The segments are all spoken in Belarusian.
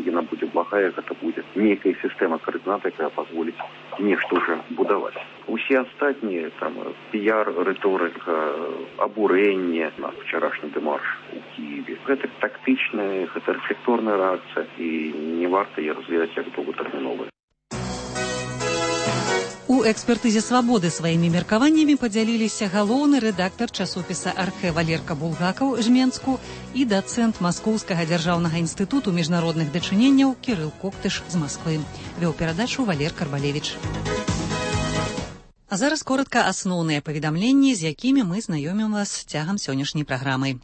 яна будзе благая, гэта будзе нейкая сістэма каардынат, якая пазволіць нешта ўжо будаваць. Усе астатнія там піяр, рыторыка, абурэнне на вчарашні дэмарш у Киеве. Гэта тактычная, гэта рэфлекторная рэакцыя і не варта яе развіваць як доўгатэрміновая. У экспертызе «Свабоды» сваімі меркаваннямі падзяліліся галоўны рэдактар часопіса «Архэ» Валерка Булгакаў Жменску і дацэнт Маскоўскага дзяржаўнага інстытуту міжнародных дачыненняў Кірыл Коктыш з Масквы. Вёў перадачу Валер Карбалевіч. А зараз коротка асноўныя паведамленні, з якімі мы знаёмім вас цягам сённяшняй праграмы.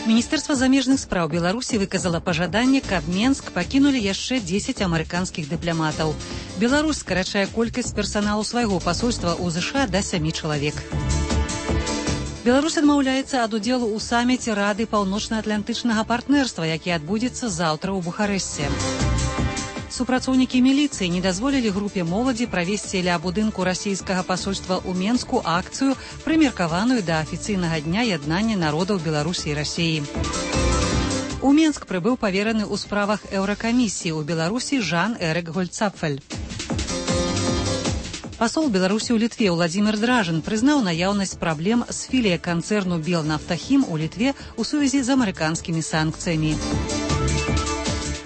Міністэрства замежных спраў Беларусі выказала пажаданне, каб Менск пакінулі яшчэ 10 амерыканскіх дыпламатаў. Беларусь скарачае колькасць персаналу свайго пасольства ў ЗША да 7 чалавек. Беларусь адмаўляецца ад удзелу ў саміце Рады паўночна-атлантычнага партнерства, які адбудзецца заўтра ў Бухарэсце. Супрацоўнікі міліцыі не дазволілі групе моладзі правесці ля будынку расійскага пасольства ў Менску акцыю, прымеркаваную да афіцыйнага дня яднання народаў Беларусі і Расіі. У Менск прыбыў павераны ў справах Еўракамісіі ў Беларусі Жан-Эрык Гольцапфель. Пасол Беларусі ў Літве Владзімір Дражын прызнаў наяўнасць праблем з філіяй канцэрну Белнафтахім у Літве ў сувязі з амерыканскімі санкцыямі.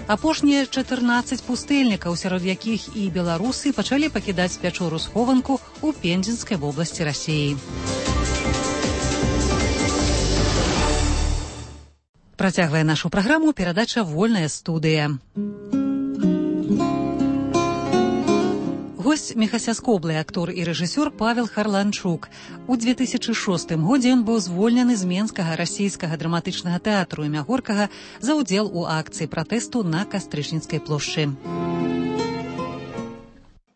Апошнія 14 пустэльнікаў, сярод якіх і беларусы, пачалі пакідаць пячору-схованку ў Пензенскай вобласці Расіі. Працягвае нашу праграму перадача «Вольная студыя». Госць мехасяскоблы актор і рэжысёр Павел Харланчук. У 2006 годзе ён быў звольнены з Менскага расійскага драматычнага тэатру імя Горкага за ўдзел у акцыі пратэсту на Кастрычніцкай плошчы.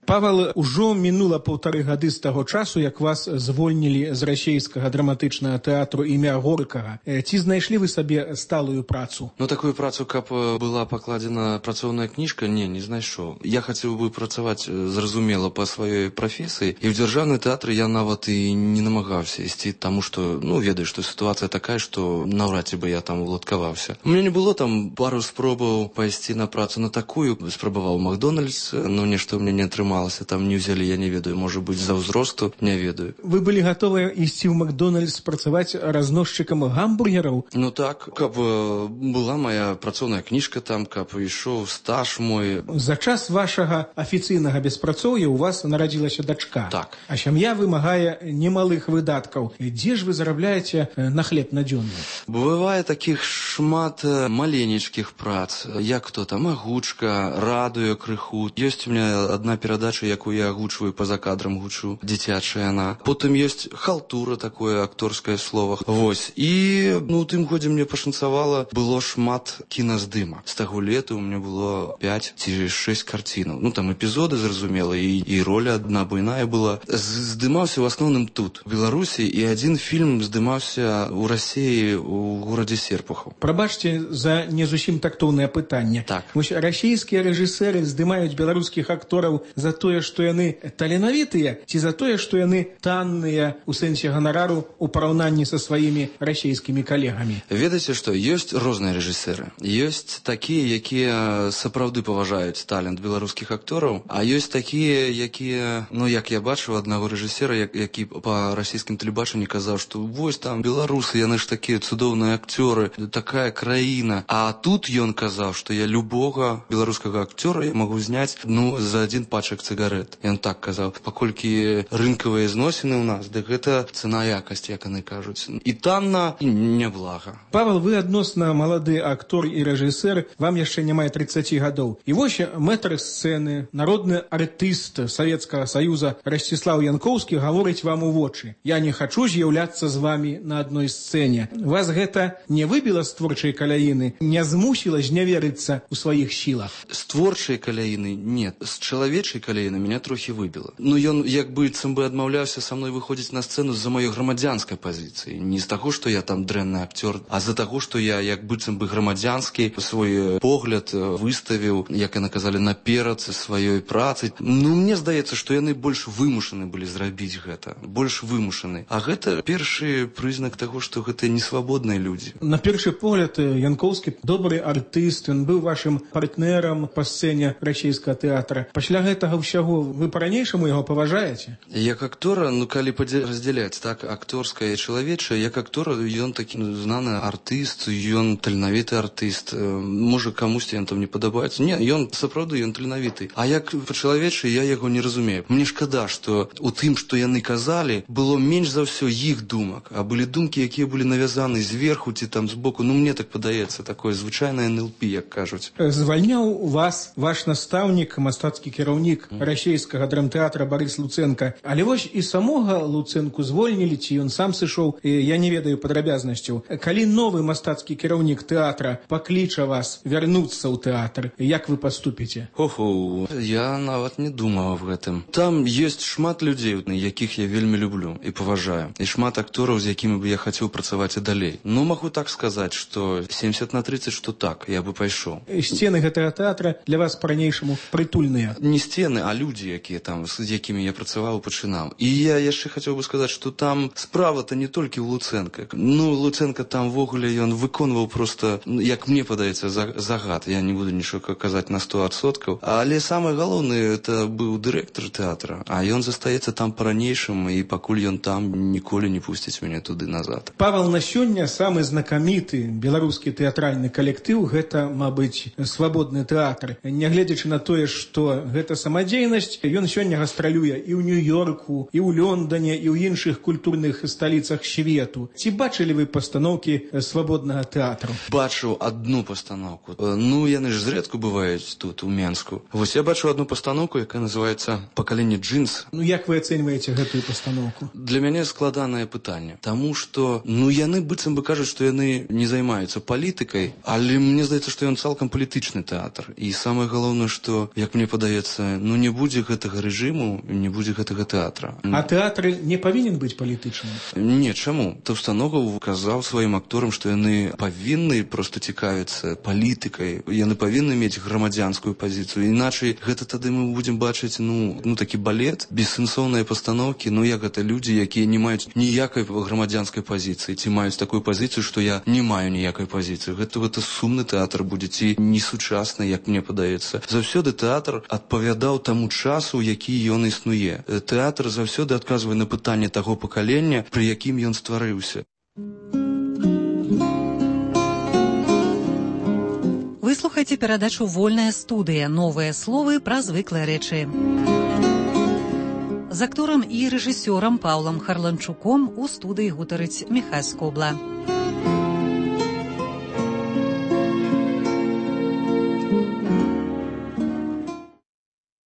Павел, ужо мінула 1,5 гады з таго часу, як вас звольнілі з расійскага драматычнага тэатру імя Горкага. Ці знайшлі вы сабе сталую працу? Такую працу, каб была пакладзена працоўная кніжка, не знайшоў. Я хацеў бы працаваць, зразумела, па сваёй прафесіі, і ў дзяржаўны тэатр я нават і не намагаўся ісці, таму што, ведаю, што сітуацыя такая, што наўрад ці бы я там уладкаваўся. У мяне не было там пару спробаў пайсці на працу на такую, спрабаваў Макдональдс, нешта ў мяне не атрымалася. Там не ўзялі, я не ведаю, можа быць, за ўзросту, не ведаю. Вы былі гатовыя ісці ў Макдональдс працаваць разносчыкам гамбургераў? Так, каб была моя працоўная кніжка там, каб ішоў стаж мой. За час вашага афіцыйнага беспрацоўя у вас нарадзілася дачка. Так. А сям'я вымагае немалых выдаткаў. Дзе ж вы зарабляеце на хлеб надзённы? Бывае такіх шмат маленечкіх прац, як то там агучка, радыё крыху. Ёсць у меня адна перадача, якую я агучваю па-за кадрам, гучу, дзіцячая яна. Потым ёсць халтура, такое акторскае слова. Вось. І, у тым годзе мне пашанцавала, было шмат кіназдыма. З таго лета у меня было 5 ці 6 карцінаў. Там эпізоды, зразумела, і роля адна буйная была. Здымаўся ў асноўным тут, у Беларусі, і адзін фільм здымаўся ў Расіі, у горадзе Серпухаў. Прабачце за не зусім тактоўнае пытанне. Так. Вось расійскія рэжысэры здымаюць беларускіх актораў за тое, што яны таленавітыя, ці за тое, што яны танныя у сэнсе ганарару ў параўнанні са сваімі расійскімі калегамі? Ведаеце што, ёсць розныя рэжысэры. Ёсць такія, якія сапраўды паважаюць талент беларускіх актораў, а ёсць такія, якія, як я бачыў аднаго рэжысера, які па расійскім тэлебачанні казаў, што вось там беларусы, яны ж такія цудоўныя акцёры, такая краіна. А тут ён казаў, што я любога беларускага акцёра я магу зняць, за адзін пачак цыгарет. Ён так казаў, паколькі рынкавыя зносіны ў нас, дык гэта цана-якасць, як яны кажуць. І танна, і няблага. Павел, вы адносна малады актор і рэжысэр, вам яшчэ няма 30 гадоў. І вось мэтр сцэны, народны артыст Савецкага Саюза Расціслаў Янкоўскі гаворыць вам у вочы: «Я не хачу з'яўляцца з вамі на адной сцэне». Вас гэта не выбіла з творчай каляіны, не змусіла зняверыцца ў сваіх сілах? З творчай каляіны нет. З чалавечай каляіны калейна меня трохі выбіла. Ну ён як быццам бы адмаўляўся са мной выходзіць на сцэну з-за маёй грамадзянскай пазіцыі. Не з таго, што я там дрэнны акцёр, а з-за таго, што я як быццам бы грамадзянскі свой погляд выставіў, як яны казалі, наперад сваёй працы. Ну, мне здаецца, што яны больш вымушаны былі зрабіць гэта. Больш вымушаны. А гэта першы прызнак таго, што гэта несвабодныя людзі. На першы погляд, Янкоўскі добры артыст, ён быў вашым партнерам па сцэне расійскага тэатра. Пасля гэтага ўсяго вы па-ранейшаму яго паважаеце? Як актора, ну, калі раздзяляць, так, акторскае і чалавечае, як актора, ён такі знаны артыст, ён таленавіты артыст. Можа, камусьці ён там не падабаецца. Не, ён сапраўды, ён таленавіты. А як па-чалавечы, я яго не разумею. Мне шкада, што у тым, што яны казалі, было менш за ўсё іх думак, а былі думкі, якія былі навязаны зверху ці там збоку. Ну, мне так падаецца, такое звычайнае НЛП, як кажуць. Звальняў вас ваш настаўнік, мастацкі кіраўнік расійскага драмтэатра Барыс Луценка. Але вось і самога Луценку звольнілі, ці ён сам сышоў, я не ведаю падрабязнасцяў. Калі новы мастацкі кіраўнік тэатра пакліча вас вярнуцца ў тэатр, як вы паступіце? Оху, я нават не думаў аб гэтым. Там ёсць шмат людзей, якіх я вельмі люблю і паважаю. І шмат актораў, з якімі бы я хацеў працаваць і далей. Ну, магу так сказаць, што 70/30, што так, я бы пайшоў. Сцены гэтага тэатра для вас па-ранейшаму прытульныя? Не сцены, а людзі, якія там, з якімі я працаваў і пачынаў. І я яшчэ хацеў бы сказаць, што там справа-то не толькі ў Луценка. Ну, Луценка там вогуле ён выконваў просто, як мне падаецца, загад. Я не буду нічога казаць на 100%. Але самае галоўнае, это быў дырэктар тэатра. А ён застаецца там па-ранейшаму, і пакуль ён там, ніколі не пусціць мяне туды назад. Павал, на сёння самы знакаміты беларускі тэатральны калектыў — гэта, мабыць, свабодны тэатр. Нягледзячы на тое, што гэта самадзейнасць, ён сёння гастралюе і ў Нью-Йорку, і ў Лондане, і ў іншых культурных сталіцах свету. Ці бачылі вы пастаноўкі свабоднага тэатру? Бачыў адну пастаноўку. Ну, яны ж зрэдку бываюць тут, у Менску. Вось я бачыў адну пастаноўку, якая называецца «Пакаленне джинс». Ну, як вы ацэньваеце гэтую пастаноўку? Для мяне складанае пытанне. Таму што, ну, яны быццам бы кажуць, што яны не займаюцца палітыкай, але мне здаецца, што ён цалкам палітычны тэатр. І самае галоўнае, што, як мне падаецца, ну, не будзе гэтага рэжыму, не будзе гэтага тэатра. А тэатр не павінен быць палітычным? Не, чаму? Таўстаногаў казаў сваім акторам, што яны павінны проста цікавіцца палітыкай, яны павінны мець грамадзянскую пазіцыю. Іначай гэта тады мы будзем бачыць, ну такі балет, бессэнсоўныя пастаноўкі, ну як гэта людзі, якія не маюць ніякай грамадзянскай пазіцыі, ці маюць такую пазіцыю, што я не маю ніякай пазіцыі. Гэта сумны тэатр будзе, ці несучасны, як мне падаецца. Заўсёды тэатр адпавядаў таму часу, які ён існуе. Тэатр заўсёды адказвае на пытанне таго пакалення, пры якім ён стварыўся. Вы слухаеце перадачу «Вольная студыя». Новыя словы пра звыклыя рэчы. З акторам і рэжысёрам Паўлам Харланчуком у студыі гутарыць Міхась Скобла.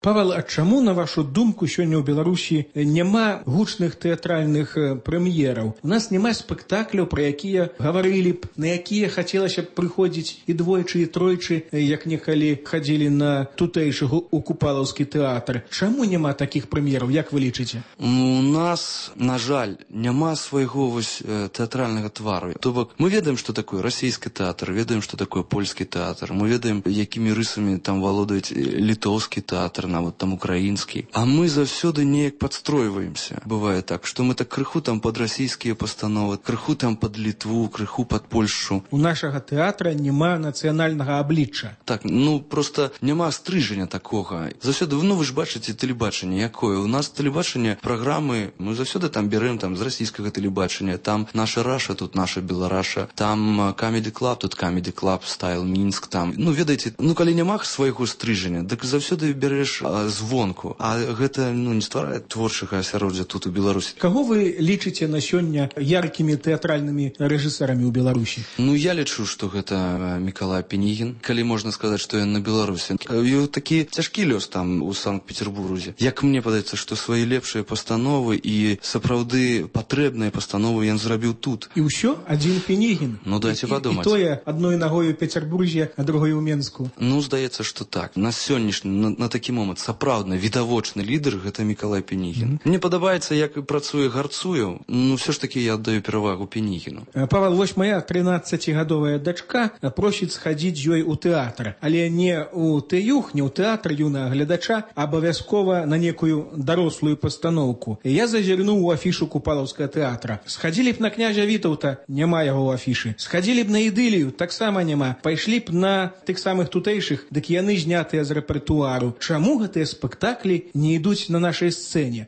Павел, а чаму, на вашу думку, сёння ў Беларусі няма гучных тэатральных прэм'ераў? У нас няма спектакляў, пра якія гаварылі б, на якія хацелася б прыходзіць і двойчы, і тройчы, як некалі хадзілі на тутэйшы у Купалаўскі тэатр. Чаму няма такіх прэм'ераў, як вы лічыце? У нас, на жаль, няма свайго вось тэатральнага твару. То бок, мы ведаем, што такое расійскі тэатр, ведаем, што такое польскі тэатр, мы ведаем, якімі рысамі там валодаюць літоўскі тэатр, нават там украінскі. А мы заўсёды неяк падстройваемся. Бывае так, што мы так крыху там пад расійскія пастановы, крыху там пад Літву, крыху пад Польшу. У нашага тэатра няма нацыянальнага аблічча. Так, ну проста няма стрыжання такога. Заўсёды, ну вы ж бачыце тэлебачанне якое. У нас тэлебачанне, праграмы, мы заўсёды там бярэм там з расійскага тэлебачання. Там наша Раша, тут наша Белараша. Там Comedy Club, тут Comedy Club, Style Мінск там. Ну ведаеце, ну калі няма свайго стрыжання, дык заўсёды бярэш звонку, а гэта не стварае творчага асяроддзя тут у Беларусі. Каго вы лічыце на сёння яркімі тэатральнымі рэжысэрамі ў Беларусі? Ну я лічу, што гэта Мікалай Пенігін, калі можна сказаць, што ён на Беларусі. Такі цяжкі лёс там у Санкт-Петербурзе. Як мне падаецца, што свае лепшыя пастановы і сапраўды патрэбныя пастановы ён зрабіў тут. І ўсё адзін Пенігін? Ну дайце падумаць. І тое адной нагой у Петербурзе, а другой у Менску. Ну здаецца, што так. На сённяшні, на такі момант от сапраўдны відавочны лідар гэта Мікалай Пінігін. Мне падабаецца, як працуе Гарцуеў, все ж таки я аддаю перавагу Пінігіну. Павел, вось моя 13-гадовая дачка просіць схадзіць ёй у тэатр, але не у тэюх, не ў тэатр юнага гледача, а абавязкова на некую дарослую пастаноўку. Я зазірнуў у афішу Купалаўскага тэатра. Схадзілі б на князя Вітаўта, няма яго ў афішы. Схадзілі б на Ідылію, таксама няма. Пайшлі б на тых самых тутэйшых, дык яны знятыя з рэпертуару. Чаму гэтыя спектаклі не ідуць на нашай сцэне?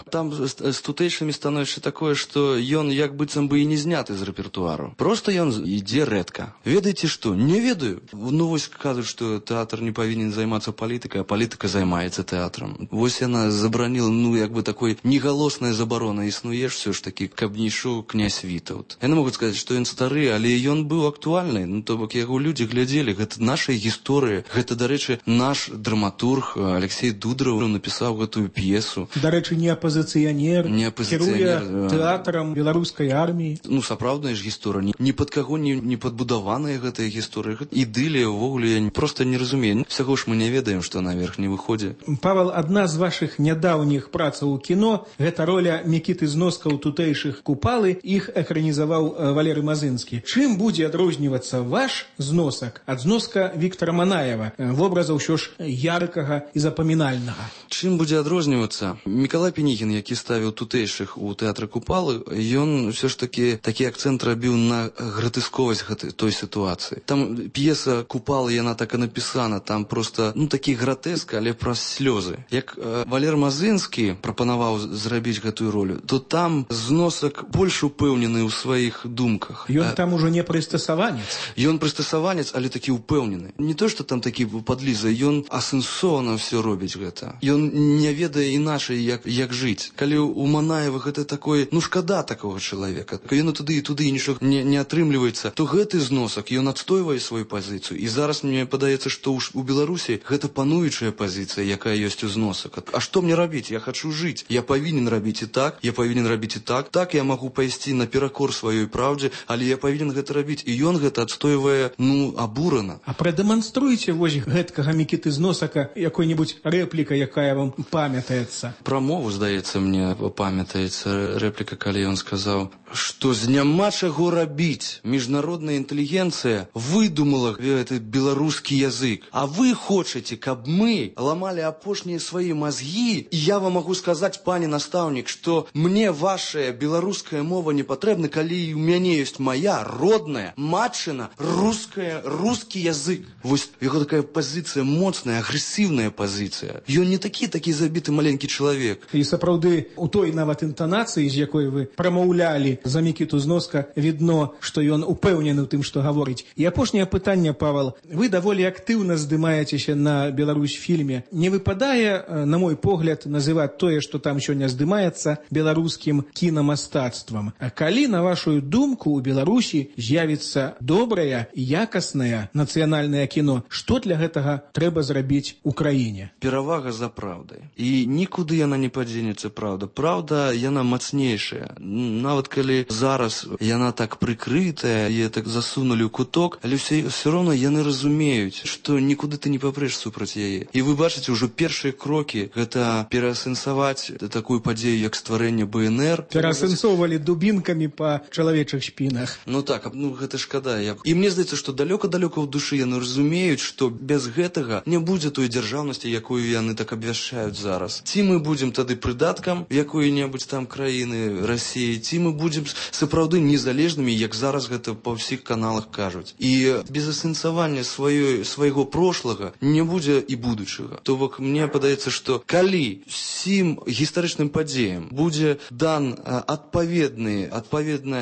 Там з тутэйшымі становішча такое, што ён як быццам бы і не зняты з рэпертуару. Просто ён ідзе рэдка. Ведаеце што? Не ведаю. Вось кажуць, што тэатр не павінен займацца палітыкай, а палітыка займаецца тэатрам. Вось яна забараніла, як бы такой негалосная забарона існуе все ж таки, каб не ішоў князь Вітаўт. Яны могуць сказаць, што ён стары, але ён быў актуальны. То бок яго людзі глядзелі. Гэта наша гісторыя. Гэта, дарэчы, наш драматург Алексей Дудараў напісаў гэтую п'есу. Дарэчы, не апазіцыянер, кіруе тэатрам беларускай арміі. Сапраўдная ж гісторыя. Ні пад каго не падбудаваная гэтая гісторыя. Ідылія, увогуле, я проста не разумею. Всяго ж мы не ведаем, што наверх не выходзе. Павел, адна з вашых нядаўніх працаў у кіно – гэта роля Мікіты Зноска ў тутэйшых Купалы, іх экранізаваў Валерый Мазынскі. Чым будзе адрознівацца ваш зносак ад зноска Віктара Манаева, вобраза ўсё ж яркага і запамінальнага? Чым будзе адрознівацца? Мікалай Пінігін, які ставіў тутэйшых у тэатры Купалы, ён ўсё ж такі акцэнт рабіў на гратэсковасць той сітуацыі. Там п'еса Купалы, яна так і напісана, там просто, такі гратэск, але праз слёзы. Як Валер Мазынскі прапанаваў зрабіць гэтую ролю, то там зносак больш упэўнены ў сваіх думках. Ён там ужо не прыстасаванец. Ён прыстасаванец, але такі упэўнены. Не то, што там такі падліза, ён асэнсована ўсё робіць гэта. Ён не ведае іначай, як жыць. Калі у Манаева гэта такое, шкада такога чалавека. Ён туды і туды нічога не атрымліваецца, то гэты зносак, ён адстойвае сваю пазіцыю. І зараз мне падаецца, што у Беларусі гэта пануючая пазіцыя, якая ёсць у зносак. А што мне рабіць? Я хачу жыць. Я павінен рабіць і так, я павінен рабіць і так. Так я магу пайсці наперакор сваёй праўдзе, але я павінен гэта рабіць. І ён гэта адстойвае, абурана. А прадэманструйце вось гэткага Мікіты Зносака якой-небудзь рэпліка, якая вам памятаецца. Пра мову, здаецца, мне памятаецца рэпліка, калі ён сказаў, што няма чаго рабіць. Міжнародная інтэлігенцыя выдумала гэты беларускі язык. А вы хочаце, каб мы ламалі апошнія свае мазгі? І я вам магу сказаць, пане настаўнік, што мне вашая беларуская мова не патрэбна, калі у мяне ёсць моя родная, матчына, рускі язык. Вось яго такая пазіцыя моцная, агрэсіўная пазіцыя. Ён не такі забіты маленькі чалавек. І сапраўды, у той нават інтанацыі, з якой вы прамаўлялі за Мікіту Зноска, відно, што ён упэўнены ў тым, што гаворыць. І апошняе пытанне, Павел. Вы даволі актыўна здымаецеся на Беларусь-фільме. Не выпадае, на мой погляд, называць тое, што там сёння здымаецца, беларускім кінамастацтвам. А калі, на вашу думку, у Беларусі з'явіцца добрае і якаснае нацыянальнае кіно, што для гэтага трэба зрабіць у краіне? Перавага за праўдай. І нікуды яна не падзенецца, праўда. Праўда, яна мацнейшая. Нават калі зараз яна так прыкрытая, яе так засунулі ў куток, але все роўно яны разумеюць, што нікуды ты не папрэш супраць яе. І вы бачыце, ўжо першыя крокі гэта пераасэнсаваць такую падзею, як стварэнне БНР. Пераасэнсоўвалі дубінкамі па чалавечых шпінах. Гэта шкада. І мне здаецца, што далёка-далёка ў душы яны разумеюць, што без гэтага не будзе той дзяржаўнасці, якую яны так абвяшчаюць зараз. Ці мы будзем тады прыдаткам якой-небудзь там краіны Расіі, ці мы будзем сапраўды незалежнымі, як зараз гэта па ўсіх каналах кажуць. І без асэнсавання свайго прошлага не будзе і будучага. То бок мне падаецца, што калі усім гістарычным падзеям будзе дан адпаведная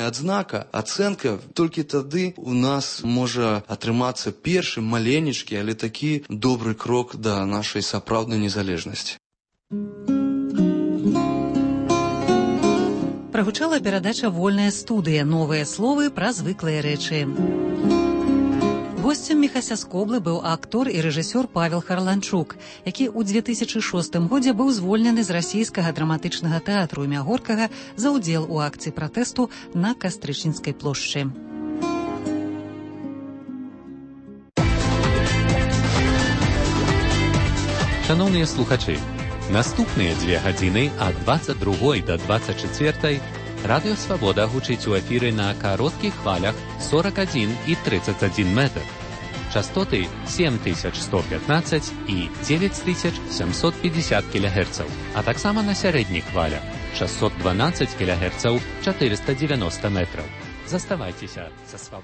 адзнака, ацэнка, толькі тады у нас можа атрымацца першы маленечкі, але такі добры крок да нашай сапраўднай незалежнасці. Прагучала перадача «Вольная студыя». Новыя словы пра звыклыя рэчы. Госцем Міхася Скоблы быў актор і рэжысёр Павел Харланчук, які ў 2006 годзе быў звольнены з расійскага драматычнага тэатру імя Горкага за ўдзел у акцыі пратэсту на Кастрычніцкай плошчы. Шановныя слухачы, наступныя 2 гадзіны ад 22 до 24 Радыё Свабода гучыць у эфіры на кароткіх хвалях 41 і 31 метр. Частоты 7115 і 9750 кГц, а таксама на сярэдніх хвалях 612 кГц 490 метраў. Заставайцеся са Свабодай.